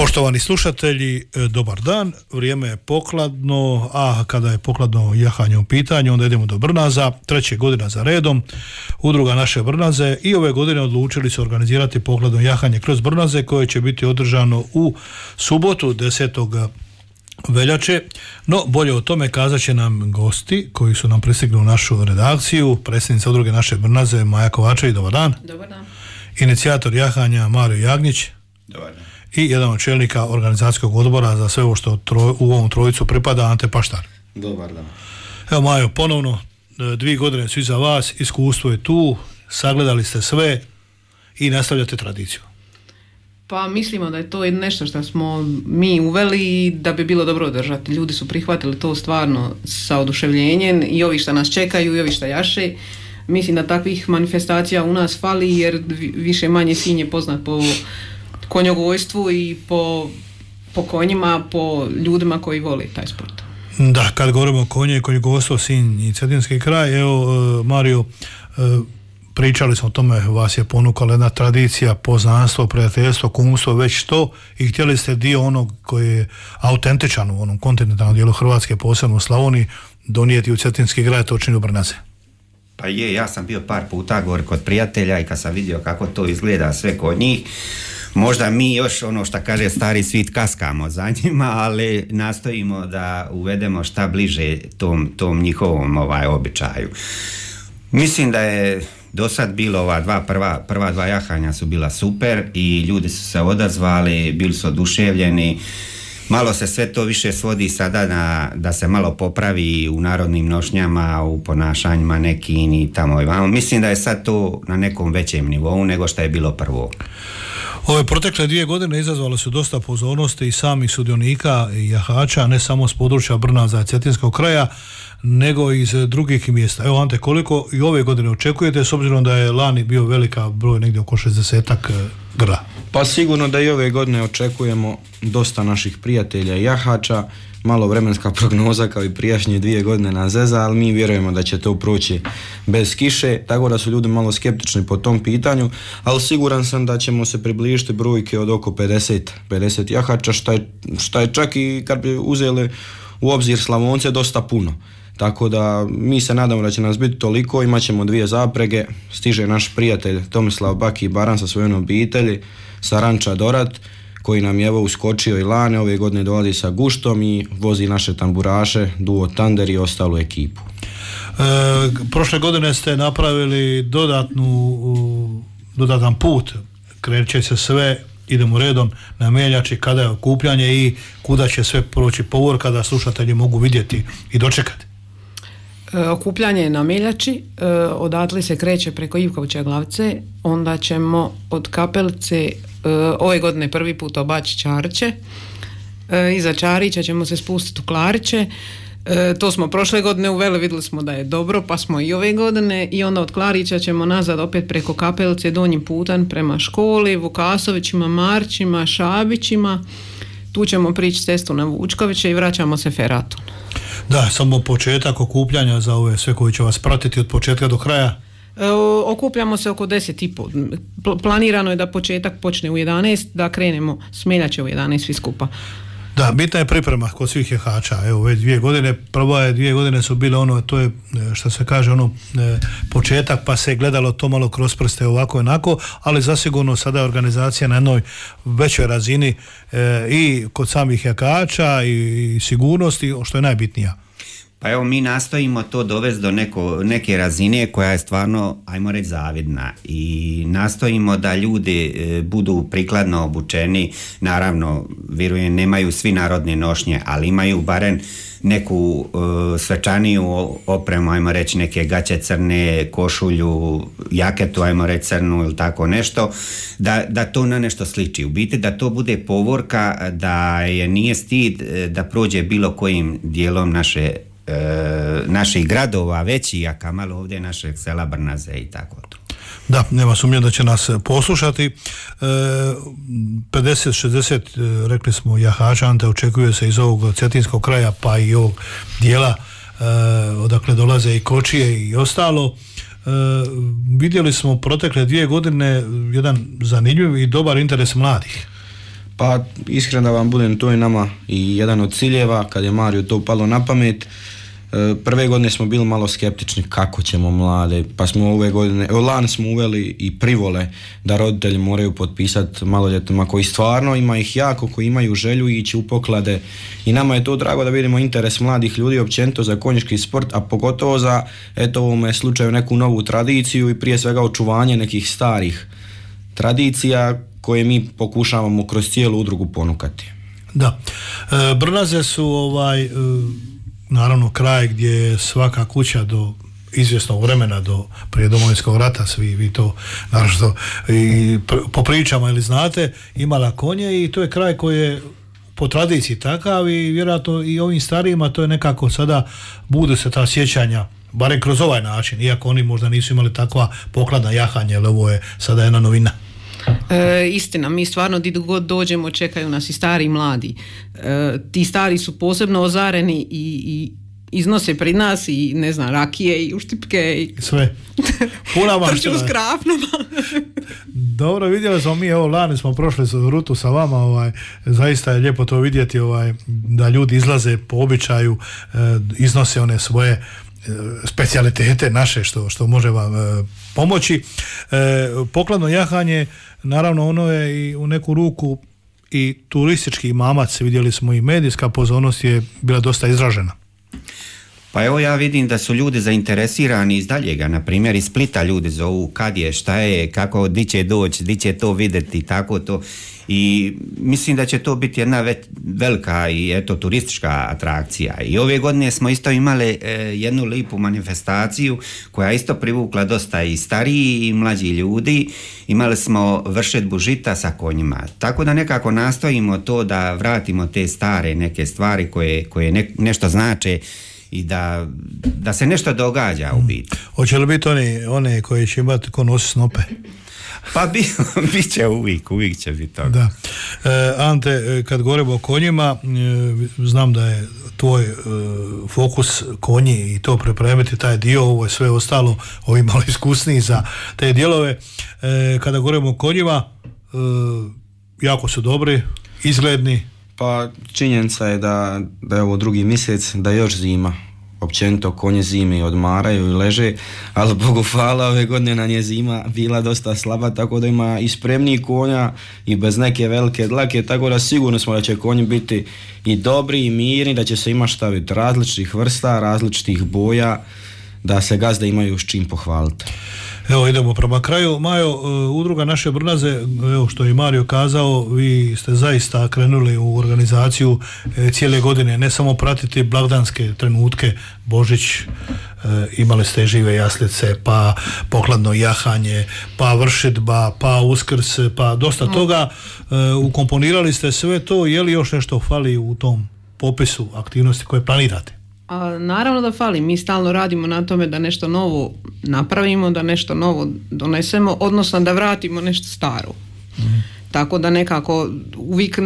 Poštovani slušatelji, dobar dan. Vrijeme je pokladno, a kada je pokladno jahanje u pitanju, onda idemo do Brnaza. 3. godina za redom udruga Naše Brnaze i ove godine odlučili se organizirati pokladno jahanje kroz Brnaze koje će biti održano u subotu 10. veljače. No, bolje o tome kazat će nam gosti koji su nam pristigli u našu redakciju. Predsjednica udruge Naše Brnaze Maja Kovačević, dobar dan. Dobar dan. Inicijator jahanja Mario Jagnić. Dobar dan. I jedan od čelnika organizacijskog odbora za sve ovo što u ovom trojicu pripada, Ante Paštar. Dobar dan. Evo Majo, ponovno 2 godine su iza vas, iskustvo je tu, sagledali ste sve i nastavljate tradiciju. Pa mislimo da je to nešto što smo mi uveli i da bi bilo dobro održati. Ljudi su prihvatili to stvarno sa oduševljenjem i ovi što nas čekaju i ovi što jaše. Mislim da takvih manifestacija u nas fali jer više manje Sinj je poznat po konjogojstvu i po konjima, po ljudima koji vole taj sport. Da, kad govorimo o konje i konjogojstvo, Sinj i Cetinski kraj, evo Mario, pričali smo o tome, vas je ponukala jedna tradicija, poznanstvo, prijateljstvo, kumstvo, već to, i htjeli ste dio onog koji je autentičan u onom kontinentalnom dijelu Hrvatske, posebno u Slavoniji, donijeti u Cetinski kraj, to čini u Brnaze. Pa je, ja sam bio par puta gore kod prijatelja i kad sam vidio kako to izgleda sve kod njih, možda mi još ono što kaže stari svit kaskamo za njima, ali nastojimo da uvedemo šta bliže tom njihovom običaju. Mislim da je do sad bilo prva dva jahanja su bila super i ljudi su se odazvali, bili su oduševljeni. Malo se sve to više svodi sada da se malo popravi u narodnim nošnjama, u ponašanjima nekim i tamo i vamo. Mislim da je sad to na nekom većem nivou nego što je bilo prvo. Ove protekle 2 godine izazvale su dosta pozornosti i samih sudionika i jahača, ne samo s područja Brnaza i Cetinskog kraja, nego iz drugih mjesta. Evo Ante, koliko i ove godine očekujete, s obzirom da je lani bio velika broj, negdje oko 60-ak grla? Pa sigurno da i ove godine očekujemo dosta naših prijatelja i jahača, malo vremenska prognoza kao i prijašnje 2 godine na zeza, ali mi vjerujemo da će to proći bez kiše, tako da su ljudi malo skeptični po tom pitanju, ali siguran sam da ćemo se približiti brojke od oko 50 jahača, šta je čak i kad bi uzeli u obzir Slavonce dosta puno. Tako da mi se nadamo da će nas biti toliko, imat ćemo 2 zaprege, stiže naš prijatelj Tomislav Baki Baran sa svojom obitelji, sa ranča Dorat, koji nam je evo uskočio i lane, ove godine dolazi sa guštom i vozi naše tamburaše, duo Tander i ostalu ekipu. Prošle godine ste napravili dodatan put, kreće se sve, idemo redom na Meljači, kada je okupljanje i kuda će sve proći povorka da slušatelji mogu vidjeti i dočekati. Okupljanje je na Meljači, odatle se kreće preko Ivkovića Glavice, onda ćemo od Kapelice ove godine prvi put obaći Čariće, iza Čarića ćemo se spustiti u Klariće, to smo prošle godine uveli, vidjeli smo da je dobro, pa smo i ove godine, i onda od Klarića ćemo nazad opet preko Kapelice donjim putem prema školi, Vukasovićima, Marćima, Šabićima, tu ćemo prići cestu na Vučkoviće i vraćamo se feratom. Da, samo početak okupljanja za ove sve koji će vas pratiti od početka do kraja. Okupljamo se oko 10:30. Planirano je da početak počne u 11, da krenemo s Meljače u 11 svi skupa. Da, bitna je priprema kod svih jahača. Evo već 2 godine, prva 2 godine su bile to je što se kaže početak, pa se gledalo to malo kroz prste ovako i onako, ali zasigurno sada je organizacija na jednoj većoj razini i kod samih jahača i sigurnosti, što je najbitnija. Pa evo, mi nastojimo to dovesti do neke razine koja je stvarno, ajmo reći, zavidna, i nastojimo da ljudi budu prikladno obučeni. Naravno, vjerujem, nemaju svi narodne nošnje, ali imaju barem neku svečaniju opremu, ajmo reći, neke gaće crne, košulju, jaketu, ajmo reći, crnu ili tako nešto, da to na nešto sliči. U biti da to bude povorka, da je nije stid da prođe bilo kojim dijelom naših gradova veći, a kamalo ovdje našeg sela Brnaze i tako to. Da, nema sumnje da će nas poslušati. 50-60, rekli smo, jahača, Ante, očekuje se iz ovog Cetinskog kraja, pa i ovog dijela odakle dolaze i kočije i ostalo. Vidjeli smo protekle 2 godine jedan zanimljiv i dobar interes mladih. Pa iskreno da vam budem, to je nama i jedan od ciljeva, kad je Mariju to palo na pamet. Prve godine smo bili malo skeptični kako ćemo mlade, pa smo lani smo uveli i privole da roditelji moraju potpisati maloljetnima koji stvarno ima ih jako, koji imaju želju ići u poklade, i nama je to drago da vidimo interes mladih ljudi općenito za konjički sport, a pogotovo za u ovome slučaju neku novu tradiciju i prije svega očuvanje nekih starih tradicija koje mi pokušavamo kroz cijelu udrugu ponukati. Da, Brnaze su naravno kraj gdje je svaka kuća do izvjesnog vremena, do prije Domovinskog rata, svi vi to naravno i po pričama ili znate, imala konje, i to je kraj koji je po tradiciji takav, i vjerojatno i ovim starijima to je nekako sada bude se ta sjećanja, barem kroz ovaj način, iako oni možda nisu imali takva pokladna jahanja, jer ovo je sada jedna novina. Istina, mi stvarno gdje god dođemo čekaju nas i stari i mladi. Ti stari su posebno ozareni i iznose pred nas i ne znam, rakije i uštipke i sve. Puna maština. Trču s krafnama. Dobro, vidjeli smo mi, evo lani smo prošli rutu sa vama, zaista je lijepo to vidjeti, da ljudi izlaze po običaju, iznose one svoje specijalitete naše što može vam pomoći. Pokladno jahanje, naravno ono je i u neku ruku i turistički mamac, vidjeli smo i medijska pozornost je bila dosta izražena. Pa evo ja vidim da su ljudi zainteresirani iz daljega, na primjer iz Splita ljudi zovu kad je, šta je, kako, di će doći, di će to vidjeti, tako to, i mislim da će to biti jedna velika i turistička atrakcija. I ove godine smo isto imali jednu lipu manifestaciju koja isto privukla dosta i stariji i mlađi ljudi. Imali smo vršetbu žita sa konjima, tako da nekako nastojimo to da vratimo te stare neke stvari koje nešto znače i da se nešto događa u biti. Hoće li biti one koji će imati ko nosi snope? Pa bit će uvijek će biti toga. Da. Ante, kad govorimo o konjima, znam da je tvoj fokus konji i to pripremiti taj dio, ovo je sve ostalo, ovi malo iskusniji za te dijelove. Kada govorimo o konjima, jako su dobri, izgledni. Pa činjenica je da je ovo drugi mjesec, da još zima. Općenito konje zime odmaraju i leže, ali Bogu hvala, ove godine nam je zima bila dosta slaba, tako da ima i spremniji konja i bez neke velike dlake, tako da sigurno smo da će konji biti i dobri i mirni, da će se ima staviti različitih vrsta, različitih boja, da se gazde imaju s čim pohvaliti. Evo idemo prema kraju. Majo, udruga Naše Brnaze, evo što je Mario kazao, vi ste zaista krenuli u organizaciju cijele godine, ne samo pratiti blagdanske trenutke, Božić, imali ste žive jaslice, pa pokladno jahanje, pa vršidba, pa Uskrs, pa dosta toga, ukomponirali ste sve to, je li još nešto fali u tom popisu aktivnosti koje planirate? Naravno da fali, mi stalno radimo na tome da nešto novo napravimo, da nešto novo donesemo, odnosno da vratimo nešto staro. Tako da nekako uvijek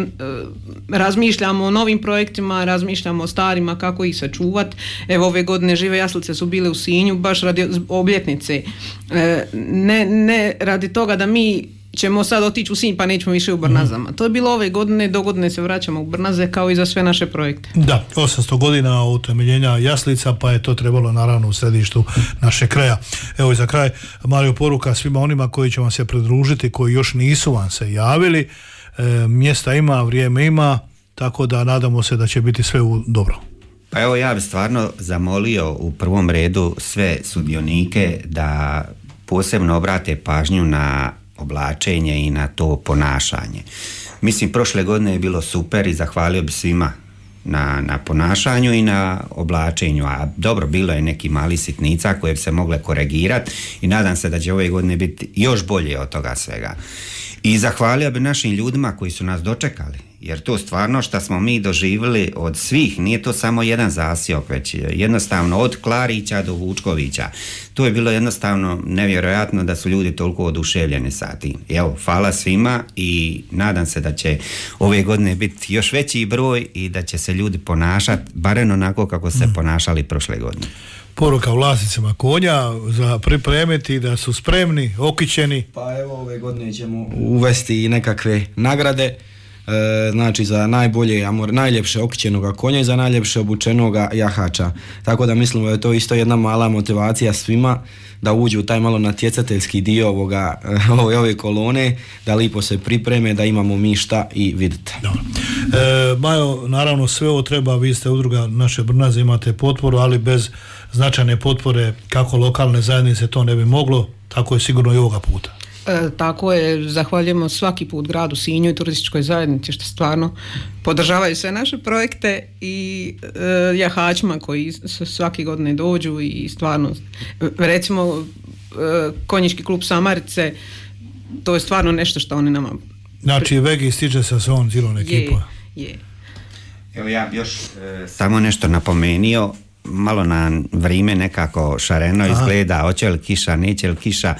razmišljamo o novim projektima, razmišljamo o starima, kako ih sačuvati. Evo ove godine žive jaslice su bile u Sinju baš radi obljetnice. Ne radi toga da mi ćemo sad otići u Sinj pa nećemo više u Brnazama. To je bilo ove godine, do godine se vraćamo u Brnaze kao i za sve naše projekte. Da, 800 godina utemeljenja jaslica, pa je to trebalo naravno u središtu naše kraja. Evo i za kraj, Mario, poruka svima onima koji će vam se pridružiti, koji još nisu vam se javili. Mjesta ima, vrijeme ima, tako da nadamo se da će biti sve dobro. Pa evo ja bih stvarno zamolio u prvom redu sve sudionike da posebno obrate pažnju na oblačenje i na to ponašanje. Mislim, prošle godine je bilo super i zahvalio bi svima na ponašanju i na oblačenju, a dobro, bilo je neki mali sitnica koje bi se mogle korigirati i nadam se da će ove godine biti još bolje od toga svega. I zahvalio bi našim ljudima koji su nas dočekali, jer to stvarno što smo mi doživjeli od svih, nije to samo jedan zasjok, već jednostavno od Klarića do Vučkovića. To je bilo jednostavno nevjerojatno da su ljudi toliko oduševljeni sa tim. Evo, hvala svima i nadam se da će ove godine biti još veći broj i da će se ljudi ponašati barem onako kako se ponašali prošle godine. Poruka vlasnicima konja za pripremiti da su spremni, okićeni. Pa evo ove godine ćemo uvesti i nekakve nagrade znači za najbolje, najljepše okićenoga konja i za najljepše obučenoga jahača. Tako da mislim da je to isto jedna mala motivacija svima da uđu u taj malo natjecateljski dio ove kolone, da lipo se pripreme, da imamo mi šta i vidite. Majo, naravno sve ovo treba, vi ste udruga Naše Brnaze, imate potporu, ali bez značajne potpore kako lokalne zajednice to ne bi moglo, tako je sigurno i ovoga puta. Tako je, zahvaljujemo svaki put gradu Sinju i turističkoj zajednici što stvarno podržavaju sve naše projekte i jahačima koji svake godine dođu i stvarno, recimo konjički klub Samarice, to je stvarno nešto što oni nama... Znači Vegi stiže sa svojom cijelom ekipom. Je. Evo ja bi još samo nešto napomenio, malo na vrijeme nekako šareno izgleda, hoće li kiša, neće li kiša.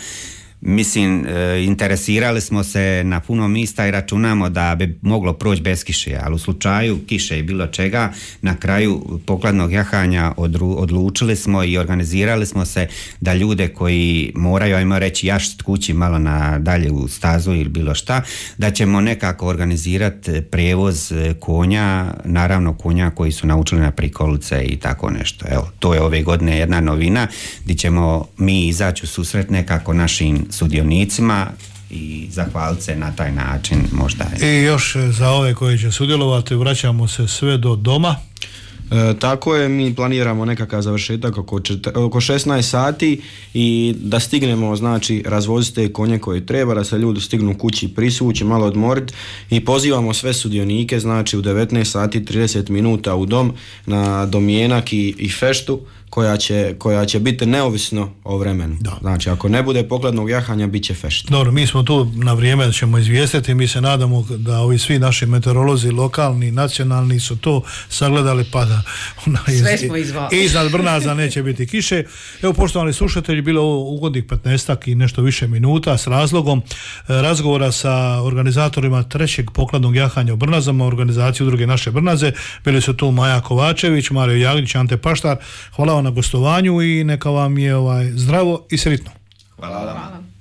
Mislim, interesirali smo se na puno mista i računamo da bi moglo proći bez kiše, ali u slučaju kiše i bilo čega, na kraju pokladnog jahanja odlučili smo i organizirali smo se da ljude koji moraju, ajmo reći, jašt kući malo na dalje u stazu ili bilo šta, da ćemo nekako organizirati prijevoz konja, naravno konja koji su naučili na prikolice i tako nešto. Evo, to je ove godine jedna novina gdje ćemo mi izaći u susret nekako našim sudionicima i zahvaliti se na taj način možda. I još za ove koji će sudjelovati vraćamo se sve do doma. Tako je, mi planiramo nekakav završetak oko 16 sati i da stignemo, znači, razvoziti te konje koje treba, da se ljudi stignu kući prisući, malo odmoriti i pozivamo sve sudionike, znači u 19 sati 30 minuta u dom na domjenak i feštu koja će biti neovisno o vremenu. Da. Znači, ako ne bude pokladnog jahanja, bit će fešta. Dobro, mi smo tu na vrijeme da ćemo izvijestiti, mi se nadamo da ovi svi naši meteorolozi, lokalni, nacionalni, su to sagledali pa da sve smo izvali. Iznad Brnaza neće biti kiše. Evo, poštovani slušatelji, bilo ovo ugodnih 15 i nešto više minuta s razlogom razgovora sa organizatorima trećeg pokladnog jahanja u Brnazama, organizaciju udruge Naše Brnaze. Bili su tu Maja Kovačević, Mario Jaglić, Ante Paštar. Hvala vam na gostovanju i neka vam je zdravo i sretno. Hvala vam.